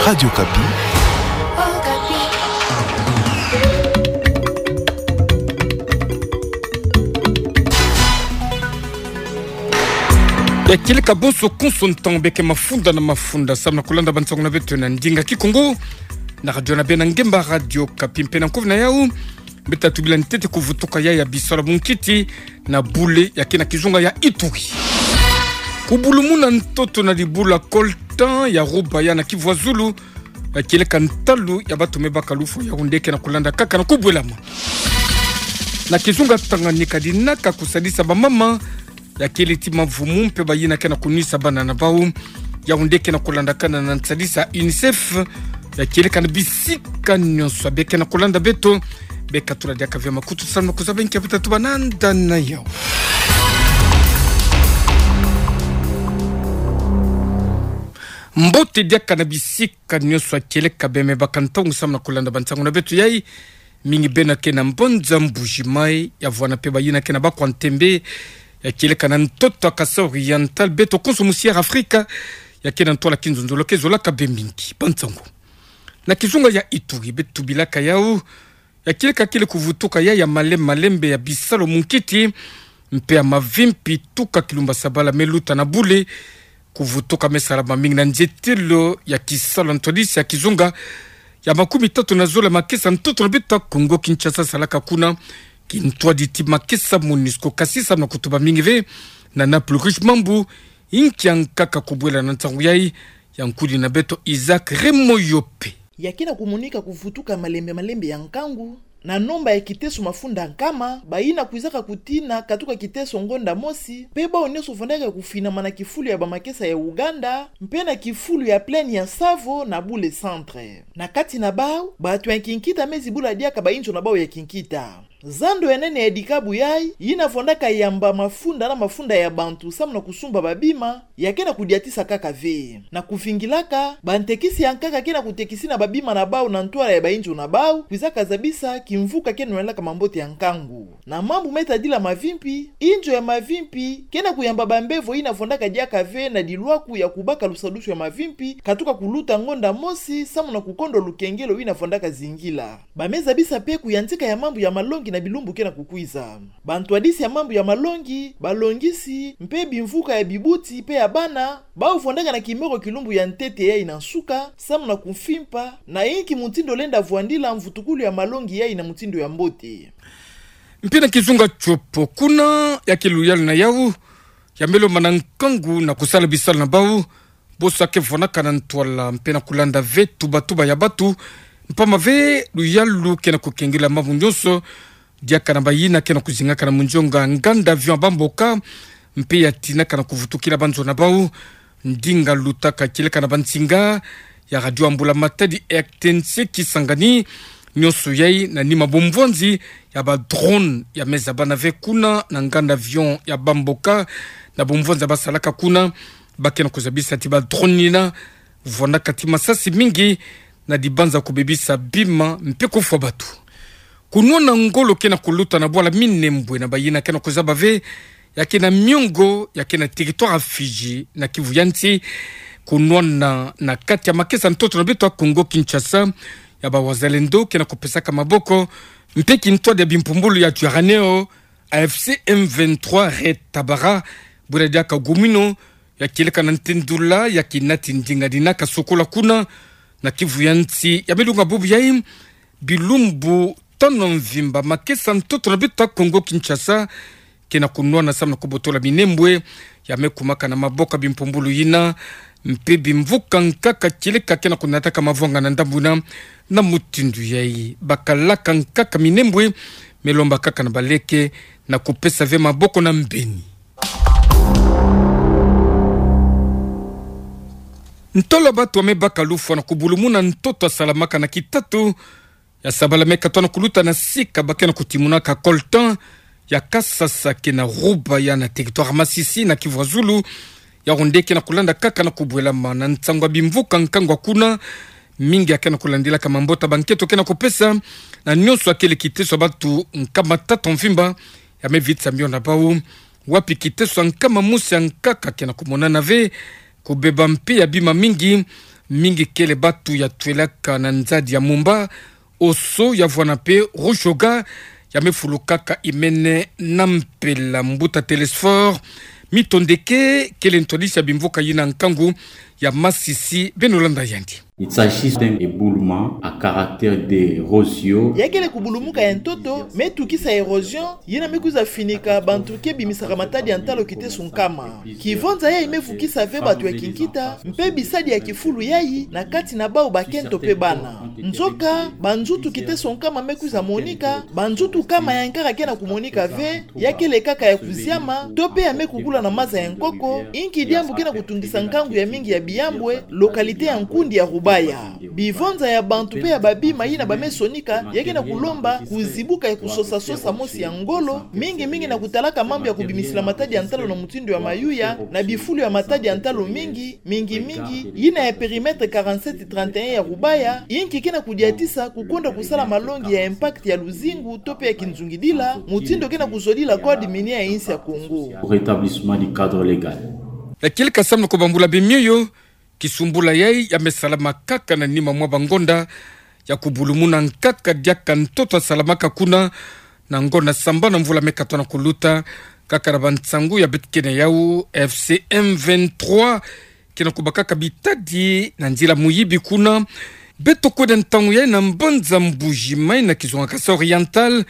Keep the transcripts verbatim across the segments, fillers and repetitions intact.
Radio Okapi. Ya kieleka bonso konso ntangu beke mafunda na mafunda samu na kulanda bansangu na beto na ndinga Kikongo na radio na bena ngemba Radio Okapi mpe na nkufi na yau. Beta tubila ntete kuvutuka ya ya bisalu ya munkiti na bule ya ke na kizunga ya Ituri. Kubulumuna ntoto na dibula coltan ya Rubaya na Kivu ya Zulu, ya kieleka ntalu ya batu me baka lufwa, Yaoundé ke na kulanda kaka na kubwelama. Na kizunga Tanganyika, dinaka kusadisa bamama ya kieleka ti mavumu mpe bayina ke na kunwisa bana na bau, Yaoundé ke na kulandakana na nsadisi ya UNICEF, ya kieleka na bisika nyonso. Beke na kulanda beto, beka tula diaka ve makutu samu na kuzaba nki ya beta tubana nda na yau. Mbote diaka na bisika nyonso ya kieleka, beno me baka ntangu samu na kulanda bansangu na beto yai. Mingi beno ke na mbanza Mbuji-Mayi, ya vwanda mpe bayina ke na Bakwa Ntembe, ya kieleka na ntoto ya Kasaï Oriental, beto konso mu Sierra Afrika, ya ke na ntwala kinzonzolo ke zolaka beno mingi. Bansangu na kizunga ya Ituri, beto tubilaka yau, ya kieleka kele kuvutuka ya ya malembe malembe ya bisalu ya munkiti mpe ya mavimpi tuka kilumba sabala me luta na bule. Kuvutuka me salama mingi na nzietelo ya kisalu ya ntwadisi ya kizunga ya makumi tatu na zole makesa ntoto na beto ya Kongo Kinshasa salaka kuna, kintwadi ti makesa MONUSCO, kasi samu na kutuba mingi ve na Naples Riche Mambu, inki ya nkaka kubwela na nsangu yai, ya nkudi na beto Isaac Remoyope. Ya ke na kumonika kuvutuka malembe malembe ya nkangu na nomba ya kiteso mafunda nkama, bayina kwizaka kutina katuka kiteso ngonda mosi, mpe bau nyonso vwandaka kufinama na kifulu ya bamakesa ya Uganda, mpe na kifulu ya plaine ya Tsavo na bule centre. Na kati na bau, batu ya kinkita me zibula diaka bainzo na bau ya kinkita. Zando ya nene ya dikabu yai, yina vwandaka yamba mafunda na mafunda ya bantu samu na kusumba babima, ya ke na kudiatisa kaka ve. Na kuvingilaka, bantekisi ya nkaka ke na kutekisina babima na bau na ntwala ya bainzo na bau, kwizaka zabisa kimvuka ke nwanaka mambote ya nkangu. Na mambu me tadila mavimpi, inzo ya mavimpi ke na kuyamba bambevo yina vwandaka diaka ve na dilwaku ya kubaka lusadusu ya mavimpi, katuka kuluta ngonda mosi samu na kukondwa lukengelo yina vwandaka zingila. Ba me zabisa mpe kuyantika ya mambu ya malongi na bilumbu ke na kukwiza. Bantwadisi ya mambu ya malongi, balongisi, mpe bimvuka ya bibuti mpe ya bana, bau vwandaka na kimoko kilumbu ya ntete yai na nsuka, samu na kumfimpa na inki mutindu lenda vwandila mvutukulu ya malongi yai na mutindu ya mbote. Mpe na kizunga Tshopo kuna, ya ke luyalu na yau ya me lomba na nkangu na kusala bisalu na bau, bonso ya ke vwanaka na ntwala mpe na kulanda ve tubatuba ya batu, mpamba ve luyalu ke na kukengela mambu nyonso, diaka na bayina ke na kuzingaka na munzonga nganda avion ya Bamboka, mpe ya tinaka na kuvutukila banzo na bau. Ndinga lutaka kieleka na bansinga ya radio ya mbula matadi R T N C Kisangani, nyonso yai na nima bomvwanzi ya ba drone ya me zabana ve kuna na nganda avion ya Bamboka, na bomvwanzi ya basalaka kuna, ba ke na kuzabisa ti ba drone yina vwandaka ti masasi mingi, na dibanza kubebisa bima mpe kufwa batu. Kunwana ngolo ke na kuluta na bwala Minembwe na bayina ke na kuzaba ve, ya ke na miongo ya ke na territoire ya Fidji na Kivu ya nsi. Kunwana na kati ya makesa ntoto na beto ya Kongo Kinshasa ya ba wazalendo ke na kupesaka maboko, mpe kintwadi ya bimpumbulu ya Twirwaneho, A F C M vingt-trois Red Tabara, bwela diaka gumino, ya kieleka na ntendula ya kinati ndinga dinaka sokola kuna na Kivu ya nsi. Ya me lunga bubu yai, bilumbu tano mvimba makesa ntoto na beto ya Kongo Kinshasa ke na kunwana samu na kubotola Minembwe ya me kumaka na maboko ya bimpumbulu yina, mpe bimvuka nkaka kieleka ke na kunataka mavwanga na ndambu yina. Na mutindu yai, bakalaka nkaka Minembwe me lomba kaka na baleke na kupesa ve maboko na mbeni. Ntolo ya batu ya me baka lufwa na kubulumuna ntoto ya salamaka na kitatu ya sabala me katoa na kuluta na sika ba ke na kutimunaka coltan ya Kasasa ke na Rubaya na territoire Masisi na Kivu ya Zulu. Yaoundé ke na kulanda kaka na kubwelama na nsangu ya bimvuka nkangu ya kuna. Mingi ya ke na kulandilaka mabota ya bankento ke na kupesa na nyonso ya kele kiteso ya batu nkama tatu mvimba ya me vitisa mio na bau, wapi kiteso ya nkama mosi ya nkaka ke na kumonana ve, kubeba mpe ya bima mingi Mingi kele batu ya twelaka na nzadi ya Moomba, Ossau ya vwanda mpe Rouge Kogha ya me fulukaka imene na mpela. Mbuta Telesphore Mitondeke kele ntwadisi ya bimvuka yina nkangu ya Masisi, beno landa yandi. Il s'agit d'un éboulement à caractère d'érosion. Ya kele kubulumuka ya ntoto, me tukisa érosion, yina me kwiza finika bantu ke bimisaka matadi ya ntalo kiteso nkama. Kivonza yayi me vukisa ve batu ya kinkita, mpe bisadi ya kifulu yayi, na kati na bau bakento mpe bana. Nzoka, banzutu kiteso nkama me kwiza monika, banzutu nkama ya nkaka ke na kumonika ve, ya kele kaka ya kuziama, to mpe ya me kukula na maza ya nkoko, inki diambu ke na kutungisa nkangu ya mingi ya Biyambwe, localité ya nkundi ya Rubaya. Bivonza ya bantu mpe ya babima yina ba me sonika, ya ke na kulomba kuzibuka ya kusosa-sosa mosi ya ngolo, mingi-mingi na kutalaka mambu ya kubimisila matadi ya ntalo na mutindu ya mayuya, na bifulu ya matadi ya ntalo mingi, mingi-mingi, yina ya périmètre quarante-sept trente et un ya Rubaya, inki ke na kudiatisa kukonda kusala malongi ya impact ya luzingu to mpe ya kinzungidila, mutindu ke na kuzodila code minier ya insi ya Congo. Au rétablissement du cadre légal. Ya kele kasamna kubambula bimioyo, kisumbula yayi ya me salama kaka na nima mwa bangonda, ya kubulumuna nkaka diaka ntoto asalamaka kuna, na ngonda sambanu mvula me katona kuluta, kaka na bansangu ya beto kena yau, F C M vingt-trois, ke na kubakaka bitadi na nzila muyibi kuna. Beto kwenda ntangu yayi na mbanza Mbuji-Mayi na kizunga Kasaï Oriental,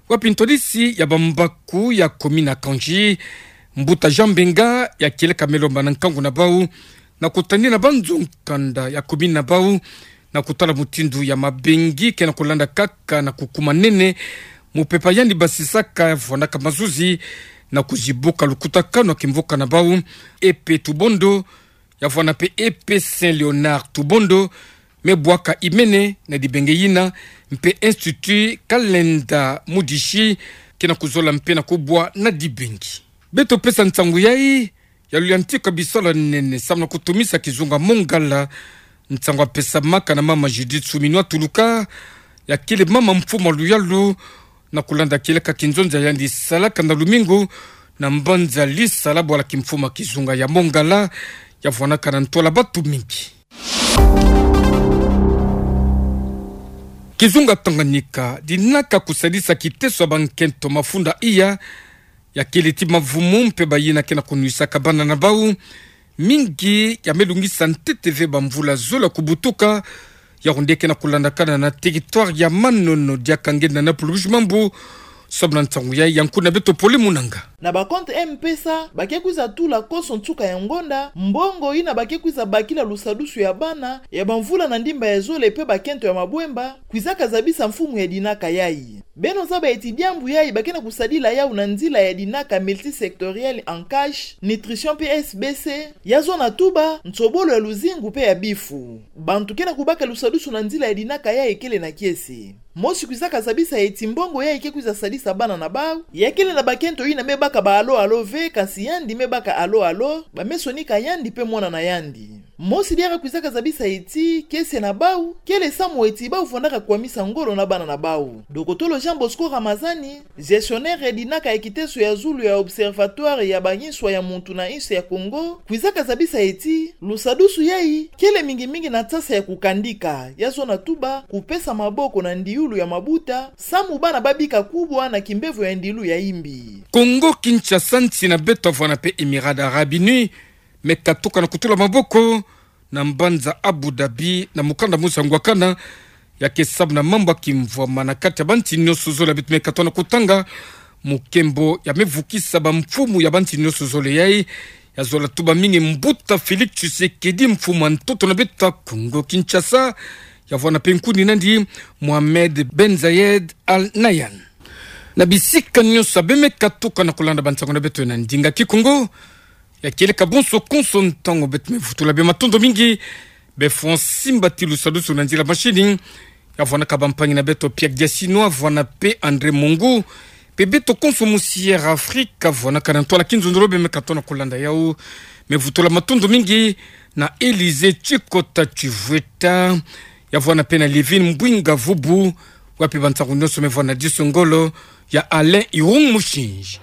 wapi ntwadisi ya bambaku ya commune ya Kandji, Mbuta Jean Mbenga, ya kele ka me lomba na nkangu na bau, na kutani na banzo nkanda ya commune na bau, na kutala mutindu ya mabengi ke na kulanda kaka na kukumanene, mupepa yandi basisaka vwandaka mazuzi, na kuzibuka lukutakanu ya kimvuka na bau, E P Tubondo, ya vwanda mpe E P Saint Léonard Tubondo, me bwaka imene na dibenge yina, mpe Institut Kalenda Mudishi, ke na kuzola mpe na kubwa na dibenge. Beto pesa nsangu yayi, ya luyantika bisalu ya nene, samu na kutumisa kizunga Mongala, nsangu ya pesamaka na mama Judith Suminwa Tuluka, ya kele mama mfumu ya luyalu, na kulanda kieleka kinzonzi ya yandi salaka na lumingu, na mbanza Lisala bwala kimfumu ya kizunga ya Mongala, ya vwanaka na ntwala batu mingi. Kizunga Tanganyika, dinaka kusadisa kiteso ya bankento mafunda iya, ya kele ti mavumu mpe bayina ke na kunwisaka bana na bau, mingi ya me lungisa ntete ve bamvula zole ya kubutuka, ya onde ke na kulandakana na territoire ya Manono diaka nge na na pulubushi mambu, samu na nsangu yayi ya nkuna beto Pole Munanga. Na ba compte M-Pesa, ba ke kwiza tula konso nsuka ya ngonda, mbongo yina ba ke kwiza bakila lusadusu ya bana, ya bamvula na ndimba ya zole mpe bakento ya mabwemba, kwizaka zabisa mfumu ya dinaka yayi. Beno zaba eti diambu yayi ba ke na kusadila yau na nzila ya dinaka multisectoriel en cash, nutrition mpe S B C, ya zona tuba, nsobolo ya luzingu mpe ya bifu. Bantu ke na kubaka lusadusu na nzila ya dinaka yayi kele na kiese. Mosi kwizaka zabisa eti mbongo yayi ke kwiza sadisa bana na bau, ya kele na bakento yina me baka ba allô allô ve, kansi yandi me baka allô allô, ba me sonika yandi mpe mwana na yandi. Mosi diaka kwizaka zabisa eti, kiese na bau, kele samu eti bau vwandaka kwamisa ngolo na bana na bau. Dokotolo Jean Bosco Ramazani, gestionnaire ya dinaka ya kiteso ya zulu ya Observatoire ya bayinswa ya muntu na insi ya Congo, kwizaka zabisa eti, lusadusu yayi, kele mingi mingi na tsasa ya kukandika, ya zona tuba, kupesa maboko na ndiulu ya mabuta, samu bana ba bika kubwa na kimbevo ya ndiulu ya imbi. Congo Kinshasa, nsi na beto vwanda mpe Émirats Arabes Unis, me katuka na kutula maboko, na mbanza Abu Dhabi, na mukanda mosi ya ngwakana, ya ke samu na mambu ya kimvwama na kati ya bansi nyonso zole ya beto me katona kutanga, mu nkembo ya me vukisa bamfumu ya bansi nyonso zole yayi, ya zola tuba mingi mbuta Félix Tshisekedi, mfumu ya ntoto na beto Congo Kinshasa, ya vwanda mpe nkundi nandi Mohamed Ben Zayed Al Nahyan. Na bisika nyonso ya be me katuka na kulanda bansangu na beto na ndinga Kikongo, ya kieleka bonso konso ntangu beto me vutula bima matondo mingi, be Francis Mbati lusadusu na nzila machine, ya vwanaka bampangi na beto Pierre Diasino, vwana mpe André Mongu, mpe beto konso mu Sierra Africa, vwanaka na ntwala kinzonzolo be me katona kulanda yau, me vutula matondo mingi na Élysée Tshikota Tshivweta, ya vwana mpe na Livine Mbwinga Vubu, wapi bansangu nyonso me vwana diso ngolo ya Alain Irung Mushinji.